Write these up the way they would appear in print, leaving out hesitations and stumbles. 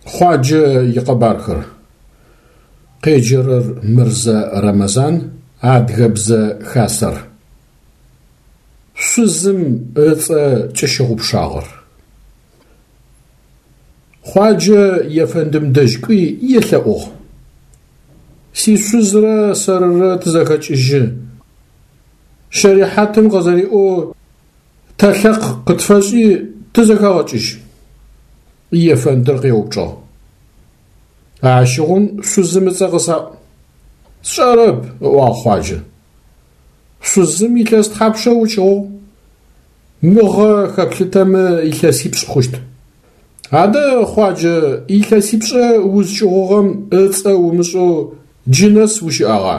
Хъуаджэ икъэбархэр. Къеджэрэр Мырзэ Рэмэзан, Адыгэбзэ Хасэр. Шъузым ыцӏэ кӏыщыгъупшагъэр. Хъуаджэ ефэндым дэжь кӏуи елъэӏугъ. Сишъузрэ сэрырэ тызэхэкӏыжьы. Щэрихьатым къызэриӏоу тэлъэкъ къытфэшӏи тызэхэгъэкӏыжь. Ефэндыр къеупчӏыгъ. Ащыгъум шъузым ыцӏэ къысаӏу. Сшӏэрэп, ыӏуагъ Хъуаджэ. Шъузым илъэс тхьапшэ укӏыгъугъ? Мыгъэ хэплъытэмэ илъэсипшӏ хъущт. Адэ, Хъуаджэ, илъэсипшӏэ узкӏыгъугъэм ыцӏэ умышӏэу джы нэс ущыӏагъа?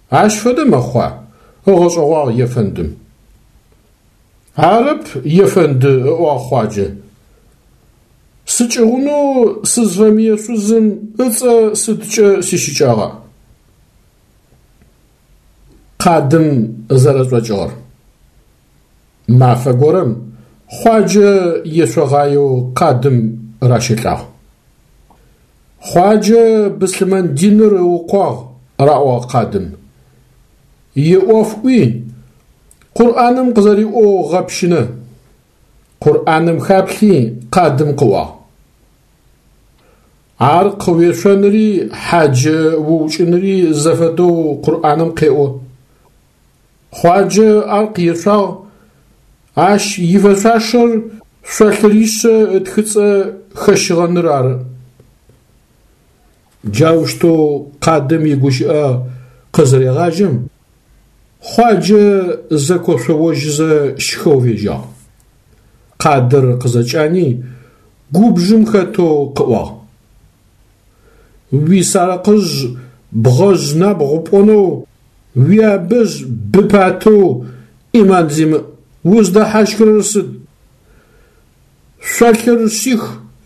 Ащ фэдэ мэхъуа? ыгъэшӏэгъуагъ ефэндым. Арэп, ефэнды, ыӏуагъ Хъуаджэ. Сыкӏыгъунэу сызфэмые шъузым ыцӏэ сыдкӏэ сищыкӏагъа? Къадым зэрэшӏокӏыгъэр. Мафэ горэм Хъуаджэ ешъогъаеу къадым ращэлӏагъ. Хъуаджэ быслъымэн диныр ыукъуагъ, раӏуагъ къадым. Иӏоф ӏуи, Къурӏаным къызэриӏоу гъэпщынэ. Къурӏаным хаплъи, къадым къыӏуагъ. Аркъ уешъонри хьаджэ уукӏынри зэфэдэу Къурӏаным къеӏо. Хъуаджэ аркъ ешъуагъ, ащ ифэшъуашэр шъолъыришъэ ытхыцӏэ хэщыгъэныр ары. Джаущтэу къадым игущыӏэ къызырегъажьэм, Хъуаджэ зэкошъоожьызэ щхэу фежьагъ. Къадыр къызэкӏани, губжым хэтэу къыӏуагъ. Уисарыкъыжъ бгъэжъ набгъу пӏонэу, уиабэжъ быпатэу ӏиман зимыӏ, уздэхьащхырэр сыд? Шъолъыр шъих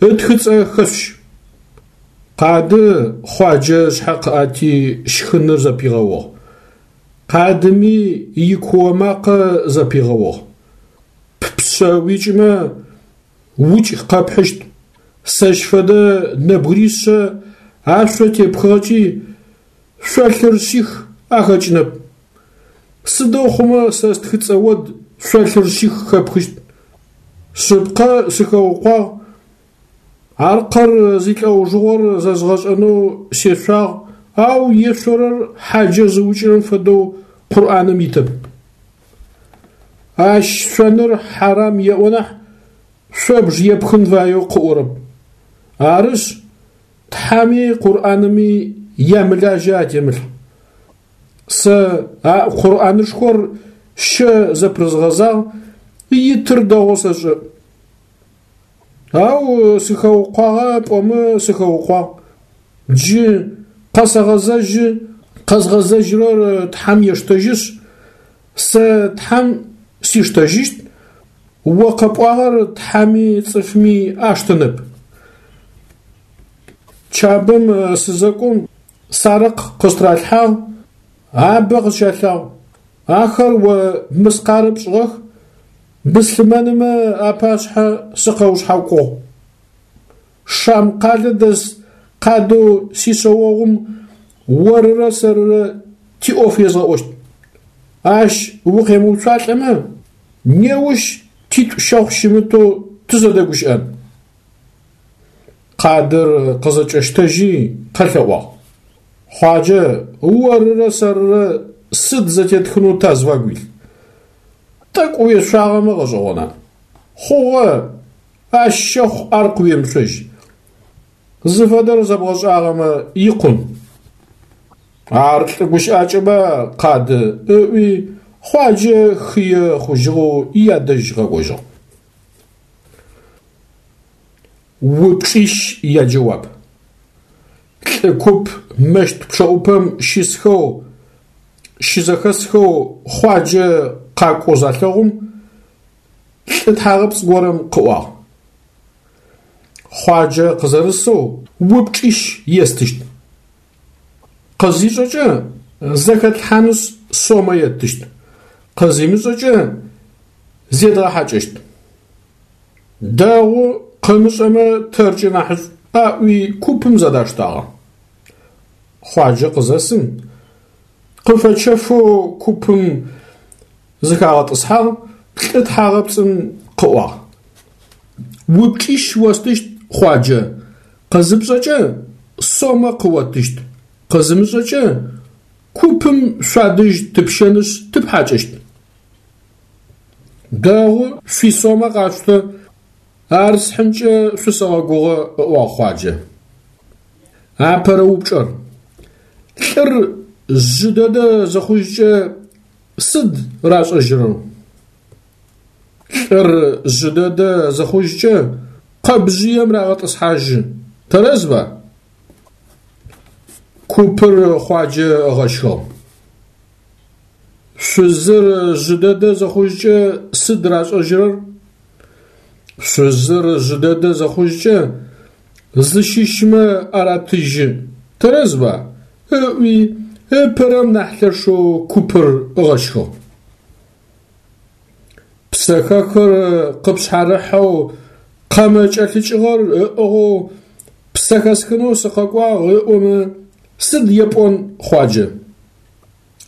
ытхыцӏэ хэшъущ. Къады Хъуаджэ ышъхьэ къыӏэти щхыныр зэпигъэугъ. Къадыми икуо макъэ зэпигъэугъ. Ппшъэ уикӏымэ, укӏ къэпхьыщт. Сэщ фэдэ нэбгыришъэ ашъо тепхыгъэкӏи, шъолъыр шъих ахэкӏынэп. Сыдэу хъумэ сэ стхыцӏэ од шъолъыр шъих хэпхыщт? Шъыпкъэ сыхэукъуагъ, аркъыр зилӏэужыгъор зэзгъэшӏэнэу сешъуагъ, ау ешъорэр хьаджэ зыукӏырэм фэдэу Къурӏаным итэп. Ащ шъоныр хьарам еӏо нахь, шъобж епхын фаеу къыӏорэп. Арышъ, Тхьэми Къурӏаными ямылажьэ атемылъ. Сэ а Къурӏанышхор щэ зэпрызгъэзагъ, итыр дэгъоу сэшӏэ. Ау сыхэукъуагъа пӏомэ сыхэукъуагъ. Джы къэсэгъэзэжьы, къэзгъэзэжьырэр Тхьэм ештэжьышъ, сэ Тхьэм сиштэжьыщт, о къэпӏуагъэр Тхьэми цӏыфми аштэнэп. Чабэм сызэкӏом сарыкъ къыстыралъхьагъ, абэ къысщалъагъ. Ахэр о мыскъарэ пшӏыгъэх, быслъымэнымэ апашъхьэ сыкъэушъхьакӏугъ. Шам къалэ дэс къадэу сишъэогъум орырэ сэрырэ тиӏоф езгъэӏощт. Ащ укъемыуцуалӏэмэ, неущ титӏу щэхъу щымытэу тызэдэгущыӏэн. Къадыр къызэкӏэщтэжьи къэлъэӏуагъ. Хъуаджэ, орырэ сэрырэ сыд зэтетхынэу тазфагу илъ? Тӏэкӏу уешъуагъэмэ гъэшӏэгъона? Хъугъэ, ащ щэхъу аркъ уемышъожь. Зыфэдэр зэбгъэшӏагъэмэ икъун. Ар лӏы гущыӏакӏэба, Къады, ыӏуи, Хъуаджэ хые хъужьыгъэу ядэжь къэкӏожьыгъ. Упчӏищ яджэуап. Лӏы куп мэщт пчъэӏупэм щысхэу, щызэхэсхэу Хъуаджэ къакӏоу залъэгъум, лӏы тхьагъэпцӏ горэм къыӏуагъ. Хъуаджэ къызэрысэу упчӏищ естыщт. Къызишӏэкӏэ зэхэтлъхьанышъ сомэ еттыщт, къызимышӏэкӏэ зедгъэхьакӏэщт. Дэгъу, къымышӏэмэ тэркӏэ нахьышӏу. Аӏуи купым зэдаштагъэ. Хъуаджэ къызэсым, къыфэчэфэу купым зыхагъэтӏысхьагъ, лӏы тхьагъэпцӏым къыӏуагъ. Упчӏищ остыщт, Хъуаджэ, къызыпшӏэкӏэ сомэ къыоттыщт, къызымышӏэкӏэ купым шъуадэжь тыпщэнышъ тыпхьакӏэщт. Дэгъу, шъуисомэ къашъутэ, ар схьынкӏэ шъусэгъэгугъэ, ыӏуагъ Хъуаджэ. Апэрэ упчӏэр. Лӏыр жъы дэдэ зыхъужькӏэ сыд рашӏэжьырэр? Лӏыр жъы дэдэ зыхъужькӏэ къэбжъыем рагъэтӏысхьажьы, тэрэзба? Купыр Хъуаджэ ыгъэщхыгъ. Шъузыр жъы дэдэ зыхъужькӏэ сыд рашӏэжьырэр? Шъузыр жъы дэдэ зыхъужькӏэ зыщыщмэ аратыжьы, тэрэзба? ыӏуи ыпэрэм нахь лъэшэу купыр ыгъэщхыгъ. Псэхэхыр къыпшъхьарыхьэу къэмэ кӏэлъыкӏыгъэр ыӏыгъэу псэ хэсхынэу сыкъэкӏуагъ ыӏомэ, сыд епӏон, Хъуаджэ?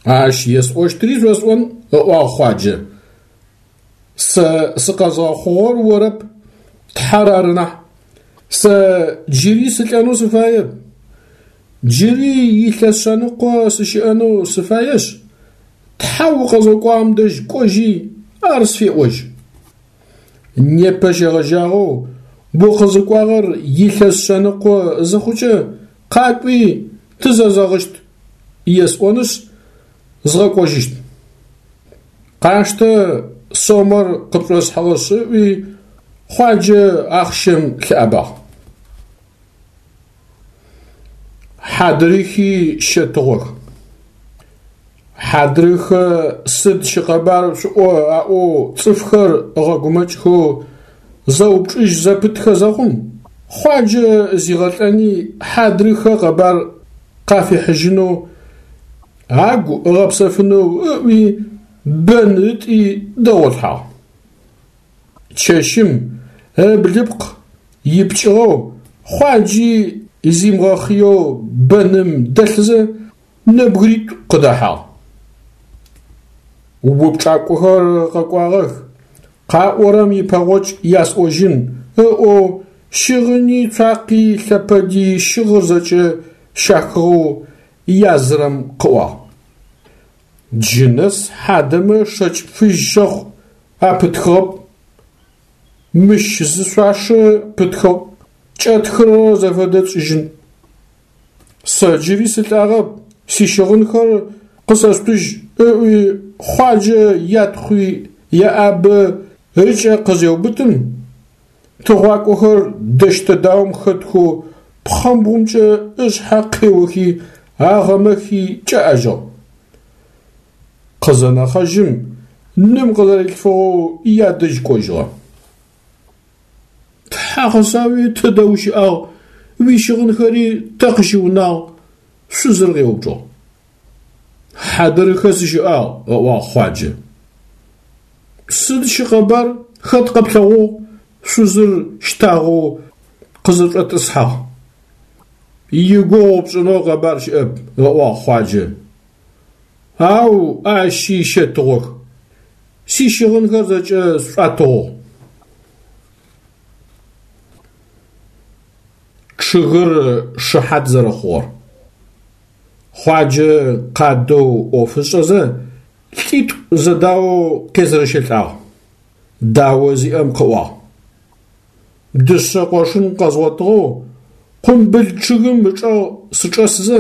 Ащ есӏощтри шъосӏон, ыӏуагъ Хъуаджэ. Сэ сыкъэзгъэхъугъэр орэп, Тхьэр ары нахь. Сэ джыри сылӏэнэу сыфаеп. Джыри илъэс шъэныкъо сыщыӏэнэу сыфаешъ, Тхьэу укъэзгъэкӏуагъэм дэжь кӏожьи, ар сфеӏожь. Непэ щегъэжьагъэу укъызыкӏуагъэр илъэс шъэныкъо зыхъукӏэ, къакӏуи тызэзэгъыщт есӏонышъ, згъэкӏожьыщт. Къаштэ сомэр къыпшӏосхьыгъэшъ, ыӏуи, Хъуаджэ ахъщэм лъыӏэбагъ. Хьадрыхи щэтыгъох. Хьадрыхэ сыд щыкъэбар шъуӏо аӏоу цӏыфхэр ыгъэгумэкӏхэу зэупчӏыжь зэпытхэ зэхъум, Хъуаджэ зигъэлӏэни хьадрыхэ къэбар къафихьыжьынэу, агу ыгъэпсэфынэу ыӏуи бэн ытӏи дэгъолъхьагъ. Чэщым ыблыпкъ ипкӏыгъэу Хъуаджи зимыгъэхъыеу бэным дэлъызэ нэбгыритӏу къыдэхьагъ. Упчӏакӏохэр къэкӏуагъэх, къаӏорэм ипэгъокӏ ясӏожьын ыӏоу щыгъыни, цуакъи, лъэпэди щыгъыр зэкӏэ щахыгъэу язырэм къыӏуагъ. Джы нэс хьадэмэ шэкӏ фыжь щэхъу апытхыгъэп. Мыщ зы шъуашэ пытхыгъ, кӏэтхырэр зэфэдэ тшӏыжьын. Сэ джыри сылӏагъэп, сищыгъынхэр къысэшъутыжь, ыӏуи Хъуаджэ ятхъуи еӏабэ ыкӏэ къызеубытым, тыгъуакӏохэр дэщтэ-даом хэтхэу пхъэмбгъумкӏэ ышъхьэ къеохи, агъэмэхи кӏэӏэжьыгъ. Къызэнэхъэжьым, ным къызэрилъфыгъэу ядэжь кӏожьыгъэ. Тхьэ къысауи, тыдэ ущыӏагъ, уищыгъынхэри тэ къыщыунагъ? Шъузыр къеупчӏыгъ. Хьадырыхэ сыщыӏагъ, ыӏуагъ Хъуаджэ. Сыд щыкъэбар, хэт къэплъэгъугъ? Шъузыр щтагъэу къызэшӏотӏысхьагъ. Игугъу пшӏынэу къэбар щыӏэп, ыӏуагъ Хъуаджэ. Ау ащи щэтыгъох. Сищыгъынхэр зэкӏэ сшӏуатыгъугъ. Чъыгыр шыхьат зэрэхъугъэр. Хъуаджэ къадэу ӏоф ышӏэзэ, лӏитӏу зэдаоу къезэрэщэлӏагъ. Дао зиӏэм къыӏуагъ. Дышъэ къошын къэзгъотыгъэу къумбыл чъыгым ычӏэгъ сычӏэсызэ,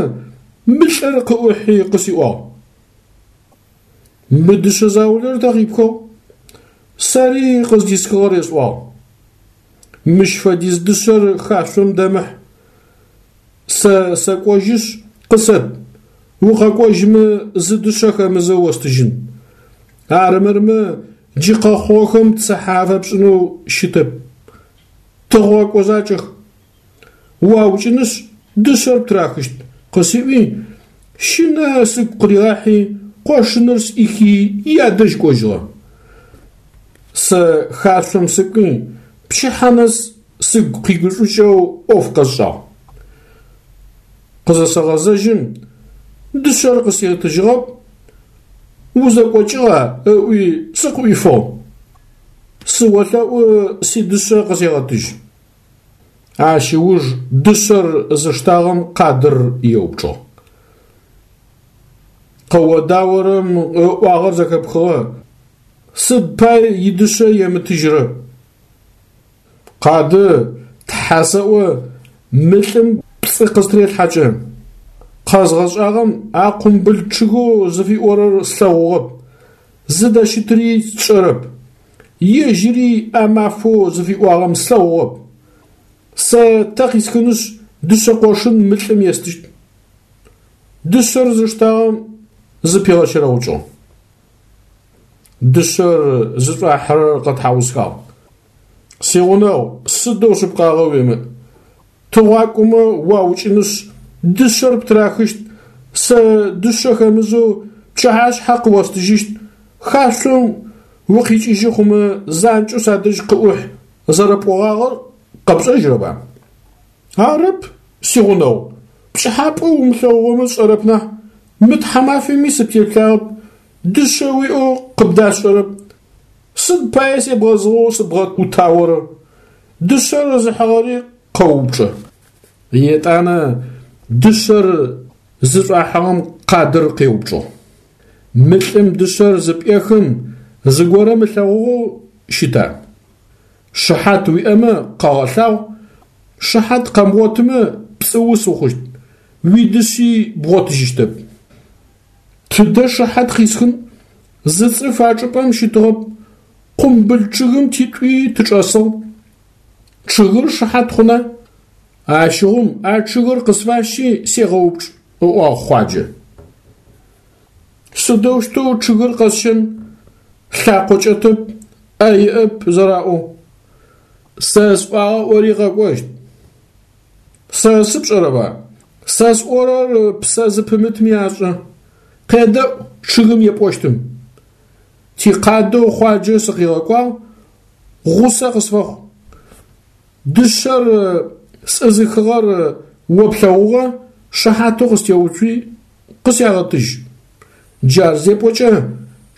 мы лӏыр къыӏухьи къысиӏуагъ. Мы дышъэ заулэр тэ къипхыгъ? Сэри къыздисхыгъэр есӏуагъ. Мыщ фэдиз дышъэр хашъом дэмыхь. Сэ сэкӏожьышъ, къысэт, укъэкӏожьмэ зы дышъэ хэмызэу остыжьын. Арымырмэ, джы къэхъугъэхэм цыхьэ афэпшӏынэу щытэп. Тыгъуакӏо закӏэх. Уаукӏынышъ, дышъэр птырахыщт, къысиӏуи, щынэ сыгу къыригъахьи, къошыныр сӏихи ядэжь кӏожьыгъэ. Сэ хашъом сыкӏуи, пчыхьэ нэс. сыгу къигушӏукӏэу ӏоф къэсшӏагъ. Къызэсэгъэзэжьым, дышъэр къыситыжьыгъэп, узэкӏокӏыгъа ыӏуи сыкъыӏуифыгъ. Сыолъэӏу сидышъэ къысегъэтыжь. Ащ ыуж дышъэр зыштагъэм къадыр еупчӏыгъ. Къыодаорэм ыӏуагъэр зэхэпхыгъэ, сыд пай идышъэ емытыжьрэ? Къады, Тхьэ сэӏо, мы лӏым пцӏы къыстрелъхьэкӏэ. Къэзгъэшӏагъэм а къумбыл чъыгэу зыфиӏорэр слъэгъугъэп, зыдэщытри сшӏэрэп. Ежьыри а мафэу зыфиӏуагъэм слъэгъугъэп. Сэ тэ къисхынышъ дышъэ къошын мы лӏым естыщт. Дышъэр зыштагъэм зыпигъэчэрэгъукӏыгъ. Дышъэр зышӏуахьырэр къэтхьаусхагъ. Сигъунэгъу, сыдэу шъыпкъагъэ уимыӏ. Тыгъуакӏомэ уаукӏынышъ, дышъэр птырахыщт, сэ дышъэ хэмызэу пчыхьашъхьэ къыостыжьыщт, хашъом укъикӏыжьы хъумэ занкӏэу садэжь къыӏухь зэрэпӏогъагъэр къэпшӏэжьырэба? Арэп, сигъунэгъу, пкӏыхьапӏэу умылъэгъугъэмэ сшӏэрэп нахь, мы тхьамафэми сыптеплъагъэп, дышъэ уиӏэу къыбдасшӏэрэп. Сыд пае себгъэзыгъэу сыбгъэӏутаорэ? Дышъэр зыхьыгъэри къэупчӏэ. Етӏанэ дышъэр зышӏуахьыгъэм къадыр къеупчӏыгъ. Мы лӏым дышъэр зыпӏехым зыгорэм ылъэгъугъэу щыта? Шыхьат уиӏэмэ къэгъэлъагъу, шыхьат къэмыгъотымэ пцӏыус ухъущт, уидышъи бгъотыжьыщтэп. Тыдэ шыхьат къисхын? Зы цӏыф а чӏыпӏэм щытыгъэп, къумбыл чъыгым титӏуи тычӏэсыгъ. Чъыгыр шыхьат хъуна? Ащыгъум а чъыгыр къысфащи сегъэупчӏ, ыӏуагъ Хъуаджэ. Сыдэущтэу чъыгыр къэсщэн? Лъакъо кӏэтэп, ӏэ иӏэп зэраӏоу. Сэ сӏуагъэ ӏори къэкӏощт. Сэ сыпшӏэрэба? Сэ сӏорэр псэ зыпымытми ашӏэ. Къедэӏу чъыгым епӏощтым. Тикъадэу Хъуаджэ сыкъигъэкӏуагъ, гъусэ къысфэхъу. Дышъэр сӏызыхыгъэр о плъэгъугъэ, шыхьатэу къыстеуцуи, къысягъэтыжь. Джар зепӏокӏэ,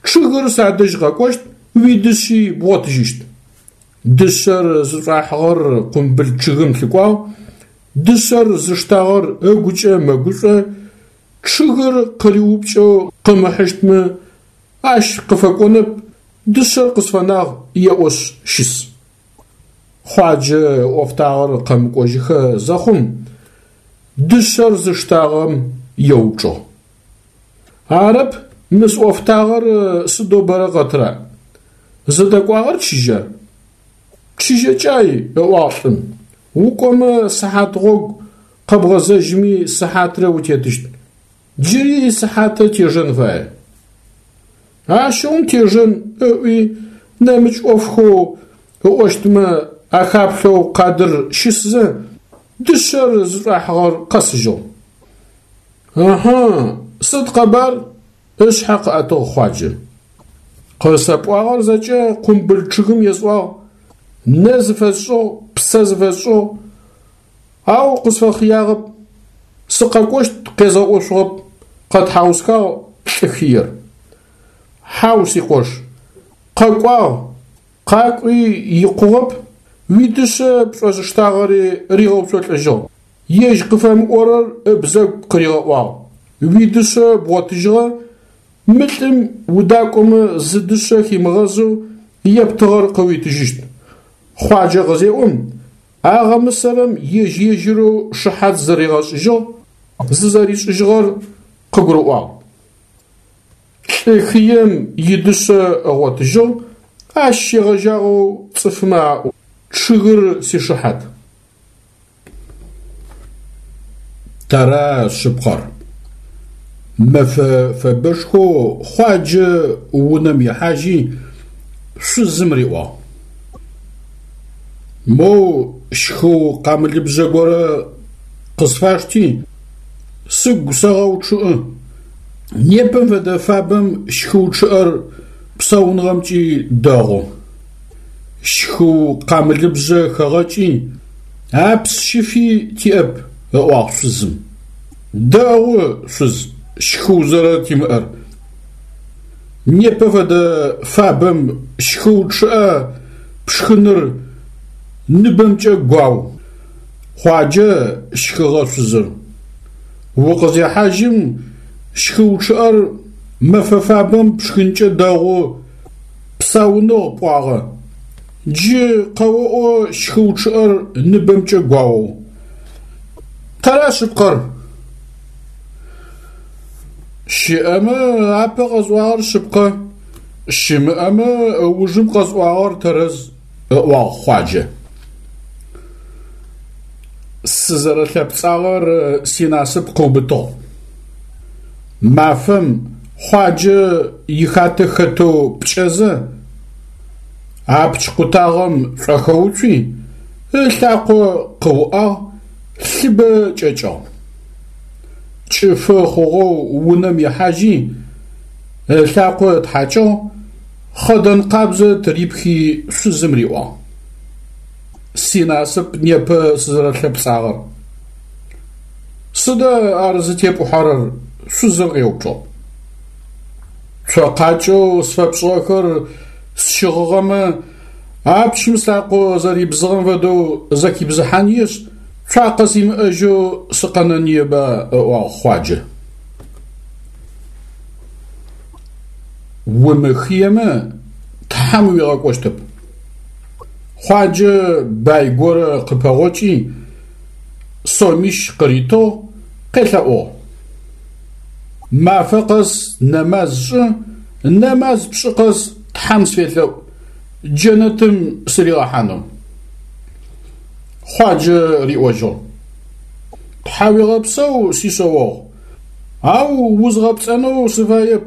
чъыгыр садэжь къэкӏощт, уидышъи бгъотыжьыщт. Дышъэр зышӏуахьыгъэр къумбыл чъыгым лъыкӏуагъ, дышъэр зыштагъэр ыгукӏэ мэгушӏо, чъыгыр къыриупкӏэу къымыхьыщтмэ, ащ къыфэкӏонэп, дышъэр къысфэнагъ еӏошъ щыс. Хъуаджэ ыӏофтагъэр къэмыкӏожьыхэ зэхъум, дышъэр зыштагъэм еупчӏыгъ. Арэп, мы сӏофтагъэр сыдэу бэрэ къэтра? Зыдэкӏуагъэр чыжьа? Чыжьэкӏай, ыӏуагъ лӏым. Укӏомэ сыхьат гъогу, къэбгъэзэжьми сыхьатрэ утетыщт. Джыри сыхьатэ тежэн фае. Ащыгъум тежэн ыӏуи, нэмыкӏ ӏофхэу ыӏощтмэ ахаплъэу къадыр щысзэ, дышъэр зышӏуахьыгъэр къэсыжьыгъ. Ыхьы, сыд къэбар? Ышъхьэ къыӏэтыгъ Хъуаджэ. Къысэпӏуагъэр зэкӏэ къумбыл чъыгым есӏуагъ, нэ зыфэсшӏыгъ, псэ зыфэсшӏыгъ, ау къысфэхъыягъэп, сыкъэкӏощт къезгъэӏошъугъэп, къэтхьаусхагъ лӏы хыер. Хьау, сикъош, къэкӏуагъ, къакӏуи икъугъэп, уидышъэ пшӏозыштагъэри ригъэуцолӏэжьыгъ. Ежь къыфэмыӏорэр ыбзэгу къыригъэӏуагъ. Уидышъэ бгъотыжьыгъэ, мы лӏым удакӏомэ зы дышъэ химыгъэзэу ептыгъэр къыуитыжьыщт. Хъуаджэ къызеӏом, агъэмысэрэм ежь-ежьырэу шыхьат зыригъэшӏыжьыгъ, зызэришӏыжьыгъэр къыгурыӏуагъ. Лӏы хыем идышъэ ыгъотыжьыгъ, ащ щегъэжьагъэу цӏыфмэ аӏо, Чъыгыр сишыхьат. Тэра шъыпкъэр? Мэфэ фэбэшхоу Хъуаджэ унэм ихьажьи, шъузым риӏуагъ: Моу щхыу къамылыбжъэ горэ къысфашти, сыгу сэгъэучъыӏы. Непэм фэдэ фабэм щхыу чъыӏэр псауныгъэмкӏи дэгъу. Щхыу къамылыбжъэ хэгъэкӏи, апс щыфи тиӏэп, ыӏуагъ шъузым. Дэгъу, шъуз, щхыу зэрэтимыӏэр. Непэ фэдэ фабэм щхыу чъыӏэ пшхыныр ныбэмкӏэ гуау. Хъуаджэ, щхыгъэ шъузыр. Укъызехьажьым щхыу чъыӏэр мэфэ фабэм пшхынкӏэ дэгъу, псауныгъ пӏуагъэ. Джы къэоӏо щхыу чъыӏэр ныбэмкӏэ гуаоу. Тэра шъыпкъэр? Щыӏэмэ апэ къэсӏуагъэр шъыпкъэ, щымыӏэмэ ыужым къэсӏуагъэр тэрэз, ыӏуагъ Хъуаджэ. Сызэрэлъэпцӏагъэр синасып къыубытыгъ. Мафэм Хъуаджэ ихатэ хэтэу пкӏэзэ, апч къутагъэм шӏохэуцуи, ылъакъо къыуӏагъ, лъыбэ кӏэкӏыгъ. Кӏыфы хъугъэу унэм ихьажьи, ылъакъо ытхьакӏыгъ, хъэдэн къабзэ тырипхи шъузым риӏуагъ. Синасып непэ сызэрэлъэпцӏагъэр. Сыда ар зытепӏухьэрэр? шъузыр къеупчӏыгъ. Цокъакӏэу сфэпшӏыгъэхэр сщыгъыгъэмэ, апчым слъакъо зэрибзыгъэм фэдэу зэхибзыхьаниешъ, цуакъэ симыӏэжьэу сыкъэнэныеба, ыӏуагъ Хъуаджэ. Умыхыемэ, Тхьэм уигъэкӏощтэп. Хъуаджэ бай горэ къыпэгъокӏи, сомищ къыритыгъ, къелъэӏугъ. Мафэ къэс нэмаз шӏы, нэмаз пшӏы къэс Тхьэм сфелъэӏу, джэнэтым сыригъэхьанэу. Хъуаджэ риӏожьыгъ. Тхьауегъэпсэу, сишъэогъу, ау узгъэпцӏэнэу сыфаеп.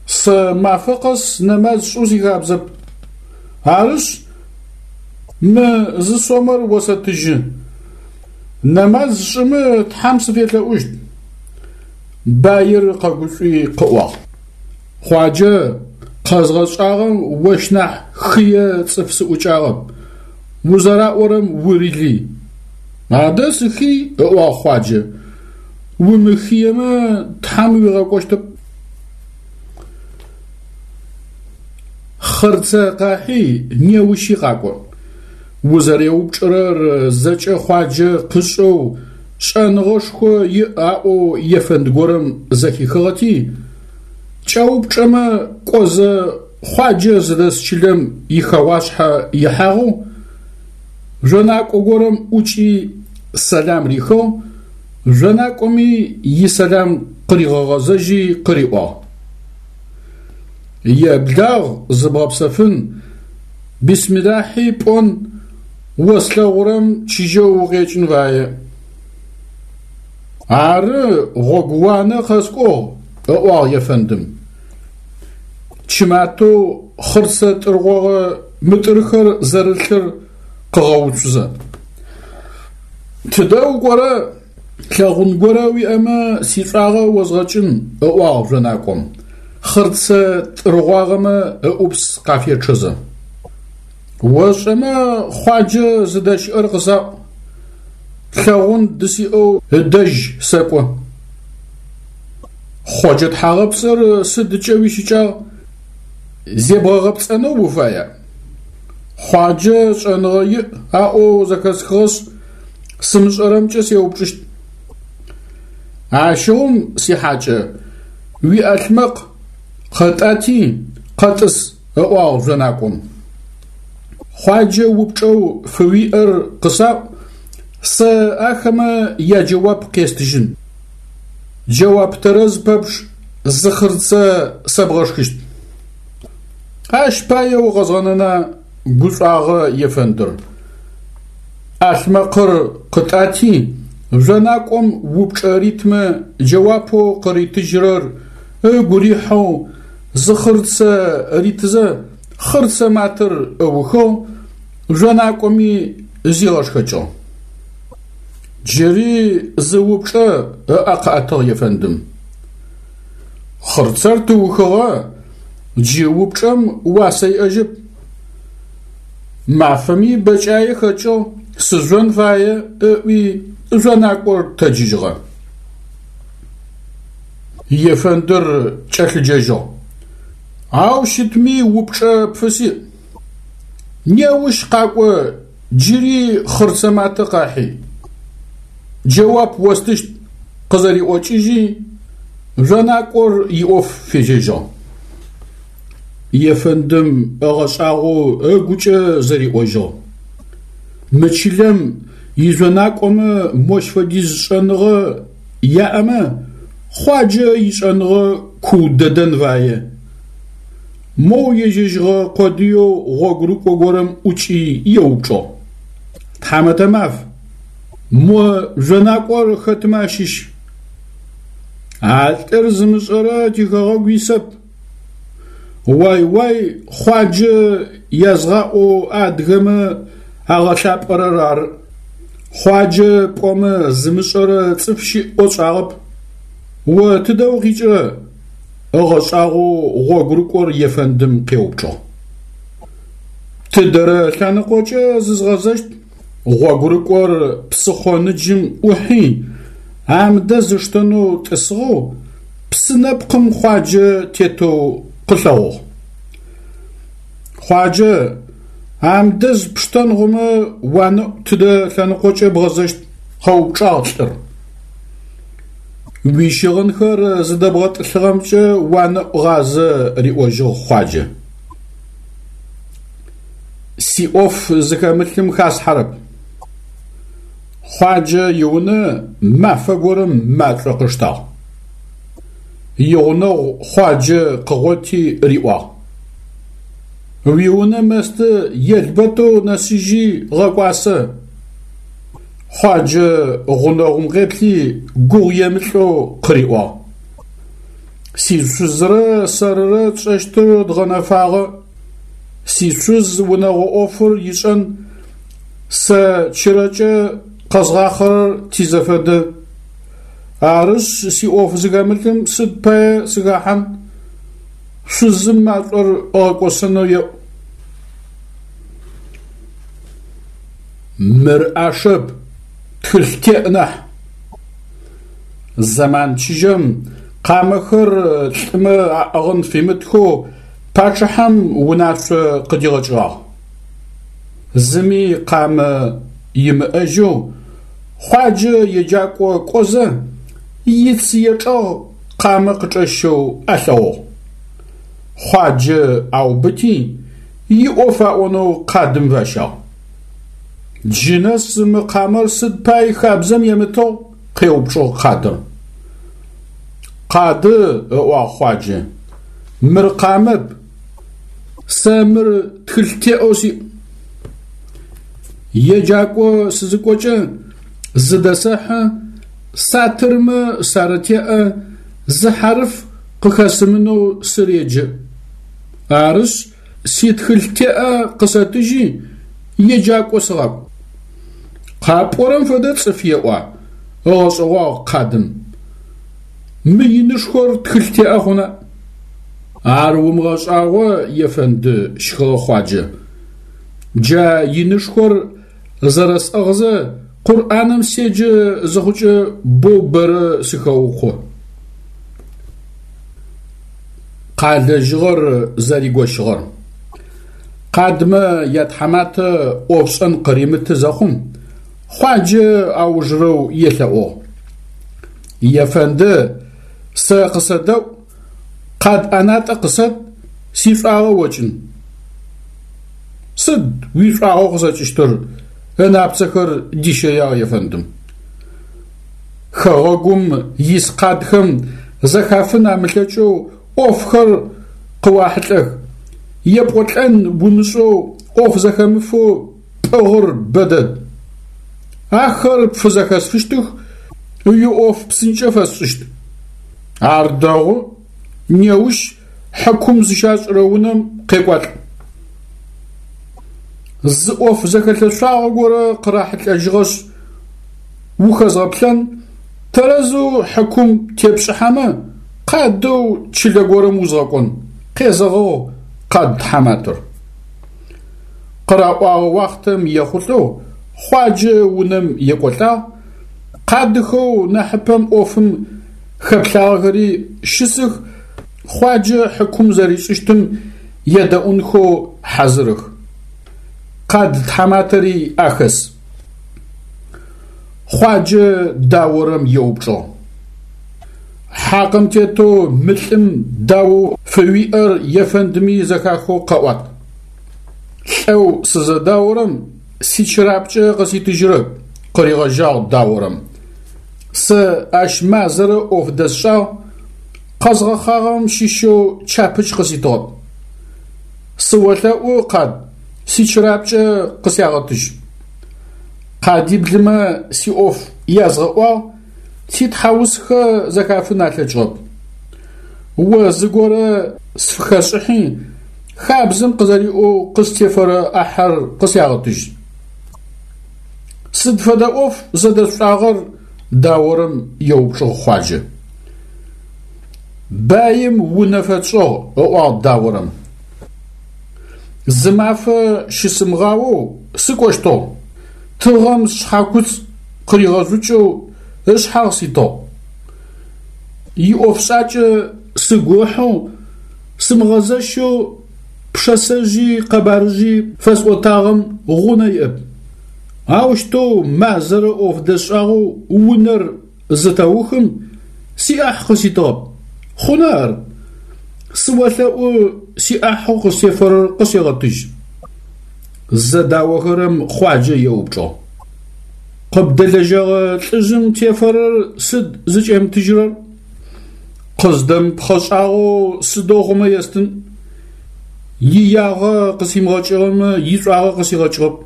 Сэ мафэ къэс нэмаз сшӏэу сихабзэп. Арышъ, мы зы сомэр осэтыжьы. Нэмаз сшӏымэ Тхьэм сыфелъэӏущт. Баир къэгушӏуи къыӏуагъ. Хъуаджэ, къэзгъэшӏагъэм ощ нахь хые цӏыф сыӏукӏагъэп, узэраӏорэм урилый. Адэ сыхый, ыӏуагъ Хъуаджэ, умыхыемэ Тхьэм уигъэкӏощтэп. Хъырцэ къахьи, неущи къакӏо. Узэреупчӏырэр зэкӏэ Хъуаджэ къышӏэу, шӏэныгъэшхо иӏ аӏоу ефэнд горэм зэхихыгъэти, кӏэупчӏэмэ кӏозэ Хъуаджэ зыдэс чылэм ихэгъуашъхьэ ихьагъэу, жъонакӏо горэм ӏукӏи сэлам рихыгъ, жъонакӏоми исэлам къыригъэгъэзэжьи къыриӏуагъ. Еблагъ зыбгъэпсэфын, бисмилахьи пӏон, о слъэгъурэм чыжьэу укъекӏын фае. Ары, гъогууанэ къэскӏугъ, ыӏуагъ ефэндым. Чыматэу хъырцэ тӏыргъогъэ мытӏырхэр зэрылъыр къыгъэуцузэ. Тыдэ укӏорэ? Лъэгъун горэ уиӏэмэ, сишӏуагъэ озгъэкӏын, ыӏуагъ жъонакӏом, хъырцэ тӏыргъуагъэмэ ыӏупс къафечъэзэ. Ошӏэмэ, Хъуаджэ зыдэщыӏэр къысаӏу, лъэгъун дысиӏэу ыдэжь сэкӏо. Хъоджэ тхьагъэпцӏыр сыдкӏэ уищыкӏагъ? Зебгъэгъэпцӏэнэу уфая? Хъуаджэ шӏэныгъэ иӏ аӏоу зэхэсхыгъэшъ, сымышӏэрэмкӏэ сеупчӏыщт. Ащыгъум, сихьакӏэ, уиӏалъмэкъ къэтӏати, къэтӏыс, ыӏуагъ жъонакӏом. Хъуаджэ упчӏэу фыуиӏэр къысаӏу, сэ ахэмэ яджэуап къестыжьын. Джэуап тэрэз пэпчъ зы хъырцэ сэбгъэшхыщт. Ащ пае укъэзгъэнэна, гушӏуагъэ ефэндыр. ӏалъмэкъыр къытӏати, жъонакӏом упчӏэ ритмэ джэуапэу къыритыжьырэр ыгу рихьэу зы хъырцэ ритызэ, хъырцэ матэр ыухыгъ, жъонакӏоми зигъэшхэкӏыгъ. Джыри зы упчӏэ ыӏэ къыӏэтыгъ ефэндым. Хъырцэр тыухыгъэ, джы упчӏэм уасэ иӏэжьэп. Мафэми бэкӏае хэкӏыгъ, сыжъон фае, ыӏуи жъонакӏор тэджыжьыгъэ. Ефэндыр кӏэлъыджэжьыгъ. Ау щытми упчӏэ пфысиӏ. Неущ къакӏо джыри хъырцэ матэ къахьи. Джэуап остыщт, къызэриӏокӏыжьи, жъонакӏор иӏоф фежьэжьыгъ. Ефэндым ыгъэшӏагъоу ыгукӏэ зэриӏожьыгъ: Мы чылэм ижъонакӏомэ мощ фэдиз шӏэныгъэ яӏэмэ, Хъуаджэ ишӏэныгъэ куу дэдэн фае. Моу ежьэжьыгъэ къодыеу гъогурыкӏо горэм ӏукӏи еупчӏыгъ: Тхьамэтэ маф, мо жъонакӏор хэтмэ ащыщ? А лӏыр зымышӏэрэ тихэгъэгу исэп. Уай-уай Хъуаджэ язгъаӏоу адыгэмэ агъэлъапӏэрэр ары. Хъуаджэ пӏомэ зымышӏэрэ цӏыф щыӏ ӏоу сшӏагъэп. О тыдэ укъикӏырэ? Ыгъэшӏагъоу гъогурыкӏор ефэндым къеупчӏыгъ. Тыдэрэ лъэныкъокӏэ зызгъэзэщт? Гъогурыкӏор псыхъо ныджым ӏухьи, амдэз ыштэнэу тӏысыгъэу, псы нэпкъым Хъуаджэ тетэу къылъэгъугъ. Хъуаджэ, амдэз пштэн хъумэ уанэӏу тыдэ лъэныкъокӏэ бгъэзэщт? къэупчӏагъ лӏыр. Уищыгъынхэр зыдэбгъэтӏылъыгъэмкӏэ уанэӏу гъазэ, риӏожьыгъ Хъуаджэ. Сиӏоф зыхэмылъым хасхьэрэп. Хъуаджэ иунэ мафэ горэм машӏо къыштагъ. Игъунэгъу Хъуаджэ къыгъоти риӏуагъ: Уиунэ мэсты елбэтэу нэсыжьи гъэкӏуасэ. Хъуаджэ гъунэгъум къеплъи гугъу емылӏэу къыриӏуагъ: Сишъузрэ сэрырэ тшӏэщтыр дгъэнэфагъэ. Сишъуз унэгъо ӏофыр ишӏэн, сэ чырэкӏэ къэзгъахъэрэр тизэфэдэ. Арышъ, сиӏоф зыхэмылъым сыд пае сыхэхьан? Шъузым машӏор ыгъэкӏосэнэу еӏу. Мыр ӏашэп, тхылъ теӏ нахь. Зэман чыжьэм къамэхэр лӏымэ аӏыгъын фимытхэу пачъыхьэм унашъо къыдигъэкӏыгъагъ. Зыми къамэ имыӏэжьэу Хъуаджэ еджакӏо кӏозэ, ицые чӏэгъ къамэ къычӏэщэу алъэгъугъ. Хъуаджэ аубыти, иӏоф аӏонэу къадым фащагъ. Джы нэс мы къамэр сыд пай хабзэм емытыгъ? къеупчӏыгъ къадыр. Къады, ыӏуагъ Хъуаджэ, мыр къамэп, сэ мыр тхылъ теӏэу сиӏ. Еджакӏо сызыкӏокӏэ зыдэсэхьы, сатырмэ сарытеӏэ, зы хьарыф къыхэсымынэу сыреджэ. Арышъ, ситхылъ теӏэ къысэтыжьи, еджакӏо сыгъакӏу. Къапӏорэм фэдэ цӏыф еӏуа? ыгъэшӏэгъуагъ къадым. Мы инышхор тхылъ теӏэ хъуна? Ар умыгъэшӏагъо, ефэнды, щхыгъэ Хъуаджэ. Джа инышхор зэрэсӏыгъзэ Къурӏаным седжэ зыхъукӏэ боу бэрэ сыхэукъо. Къалэжьыгъэр зэригощыгъэр. Къадмэ ятхьаматэ ӏофшӏэн къыримыты зэхъум, Хъуаджэ аужырэу елъэӏугъ. Ефэнды, сэ къысэдэӏу, къад ӏэнатӏэ къысэт, сишӏуагъэ окӏын. Сыд уишӏуагъэу къысэкӏыщтыр? ынапцэхэр дищэягъ ефэндым. Хэгъэгум ис къадхэм зэхафын амылъэкӏэу ӏофхэр къыуахьылӏэх, епӏолӏэн умышӏэу ӏоф зэхэмыфэу пӏыгъыр бэдэд. Ахэр пфызэхэсфыщтых, уиӏоф псынкӏэ фэсшӏыщт. Ар дэгъу, неущ хьыкум зыщашӏырэ унэм къекӏуалӏ. Зы ӏоф зэхэлъэшъуагъэ горэ къырахьылӏэжьыгъэшъ, ухэзгъэплъэн, тэрэзэу хьыкум тепшӏыхьэмэ, къадэу чылэ горэм узгъэкӏон, къезэгъыгъ къад тхьаматэр. Къыраӏуагъэ уахътэм ехъулӏэу Хъуаджэ унэм екӏолӏагъ, къадыхэу нахьыпэм ӏофым хэплъагъэхэри щысых, Хъуаджэ хьыкум зэришӏыщтым едэӏунхэу хьазырых. Къад тхьаматэри ахэс. Хъуаджэ даорэм еупчӏыгъ. Хьакъым тетэу мы лӏым даоу фыуиӏэр ефэндми зэхахэу къэӏуат. Лӏэу сызэдаорэм сичырапкӏэ къыситыжьырэп, къыригъэжьагъ даорэм. Сэ ащ мазэрэ ӏоф дэсшӏагъ, къэзгъэхъагъэм щыщэу чапыч къыситыгъэп. Сыолъэӏу, къад, сичырапкӏэ къысягъэтыжь. Къадиблымэ сиӏоф язгъэӏуагъ, ситхьаусхэ зэхафын алъэкӏыгъэп. О зыгорэ сфыхэшӏыхьи, хабзэм къызэриӏоу къыстефэрэ ӏахьэр къысягъэтыжь. Сыд фэдэ ӏоф зэдэшъушӏагъэр? даорэм еупчӏыгъ Хъуаджэ. Баим унэ фэтшӏыгъ, ыӏуагъ даорэм. Зы мафэ щысымыгъаоу сыкӏощтыгъ, тыгъэм сшъхьакуцӏ къыригъэжъукӏэу ышъхьагъ ситыгъ. Иӏофшӏакӏэ сыгу ыхьэу, сымыгъэзэщэу пшысэжъи къэбарыжъи фэсӏотагъэм гъунэ иӏэп. Аущтэу мазэрэ ӏоф дэсшӏагъэу унэр зытэухым, сиӏахь къыситыгъэп. Хъуна ар? Сыолъэӏу, сиӏахьэу къыстефэрэр къысегъэтыжь. Зэдаохэрэм Хъуаджэ еупчӏыгъ. Къыбдэлэжьэгъэ лӏыжъым тефэрэр сыд зыкӏемытыжьырэр? Къыздэмыпхъэшӏагъэу сыдэу хъумэ естын? Иягъэ къысимыгъэкӏыгъэмэ, ишӏуагъэ къысигъэкӏыгъэп.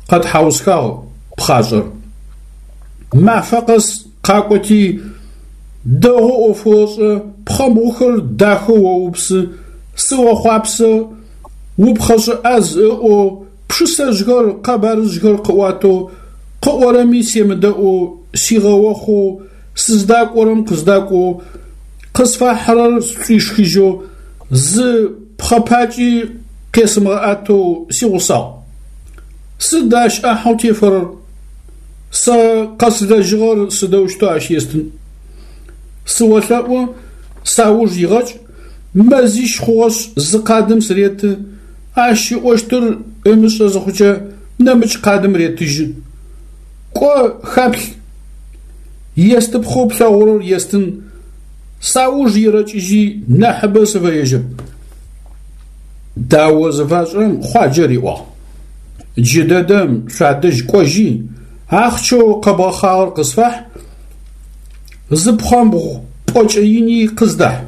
Къэтхьаусхагъ пхъашӏэр. Мафэ къэс къакӏоти, дэгъоу ӏоф ошӏэ, пхъэмбгъухэр дахэу оупсы, сыохъуапсэ, упхъэшӏэ ӏаз ыӏоу Пшысэжъхэр, къэбарыжъхэр къыӏуатэу, къыӏорэми семыдэӏоу, сигъэохъоу, сыздакӏорэм къыздакӏоу, къысфахьырэр сшӏуишхыжьэу, зы пхъэ пакӏи къесымыгъэӏэтэу сигъусагъ. Сыд ащ ӏахьэу тефэрэр? Сэ къэслэжьыгъэр сыдэущтэу ащ естын? Сыолъэӏу, сауж игъэкӏ, мэзищ хъугъэшъ зы къадым сыреты, Ащ ыӏощтыр ымышӏэ зыхъукӏэ, нэмыкӏ къадым ретыжьы. Кӏо, хаплъ, естыпхъэу плъэгъурэр естын, сауж ерэкӏыжьи, нахьыбэ сыфэежьэп. Дао зыфашӏырэм Хъуаджэ риӏуагъ. Джыдэдэм шъуадэжь кӏожьи, ахъщэу къэбгъэхъагъэр къысфахь, зы пхъэмбгъу пӏокӏэ ини къыздахь.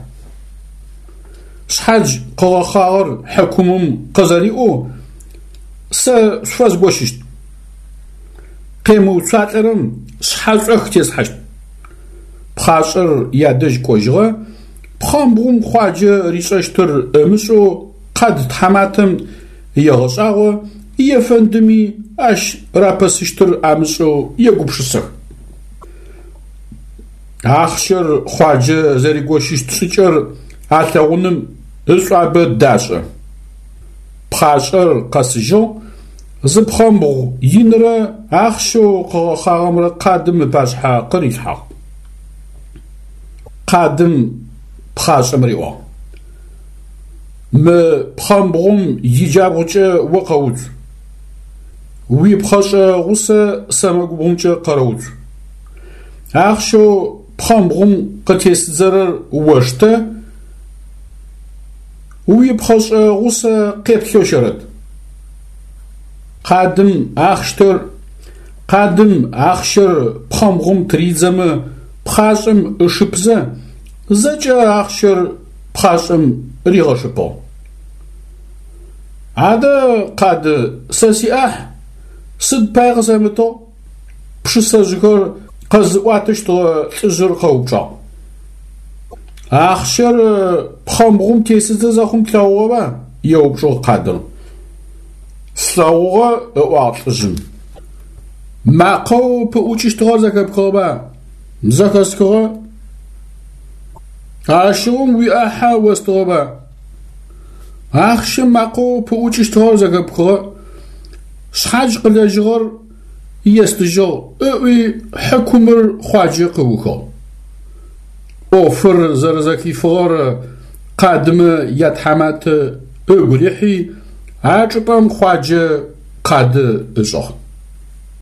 Шъхьадж къыгъэхъагъэр хьыкумым къызэриӏоу сэ шъуфэзгощыщт. Къемыуцуалӏэрэм шъхьэшӏох теслъхьащт. Пхъашӏэр ядэжь кӏожьыгъэ, пхъэмбгъум Хъуаджэ ришӏэщтыр ымышӏэу къад тхьаматэм егъэшӏагъо, ефэндыми ащ рапэсыщтыр амышӏэу егупшысэх. Ахъщэр Хъуаджэ зэригощыщт шӏыкӏэр алъэгъуным ышӏуабэ дашӏэ. Пхъашӏэр къэсыжьыгъ, зы пхъэмбгъу инрэ ахъщэу къыгъэхъагъэмрэ къадым ыпашъхьэ къырилъхьагъ. Къадым пхъашӏэм риӏуагъ: Мы пхъэмбгъум иджабгъукӏэ о къэуцу, уипхъэшӏэ гъусэ сэмэгубгъумкӏэ къэрэуцу. Ахъщэу пхъэмбгъум къытесыдзэрэр оштэ, уипхъэшӏэ гъусэ къеплъэу щэрэт. Къадым ахъщтэр Къадым ахъщэр пхъэмбгъум тыридзэмэ пхъашӏэм ышыпзэ, зэкӏэ ахъщэр пхъашӏэм ригъэшыпыгъ. Адэ, къады, сэ сиӏахь сыд пай къысэмытыгъ? Пшысэжъхэр къэзыӏуатэщтыгъэ лӏыжъыр къэупчӏагъ. Ахъщэр пхъэмбгъум тесыдзэ зэхъум плъэгъугъэба? еупчӏыгъ къадыр. Слъэгъугъэ, ыӏуагъ лӏыжъым. Макъэу пыӏукӏыщтыгъэр зэхэпхыгъэба? Зэхэсхыгъэ. Ащыгъум уиӏахьэ остыгъэба? Ахъщэ макъэу пыӏукӏыщтыгъэр зэхэпхыгъэ, шъхьадж къылэжьыгъэр естыжьыгъ, ыӏуи хьыкумыр Хъуаджэ къыухыгъ. ӏофыр зэрэзэхифыгъэр къадымэ ятхьаматэ ыгу рихьи, а чӏыпӏэм Хъуаджэ къады ышӏыгъ.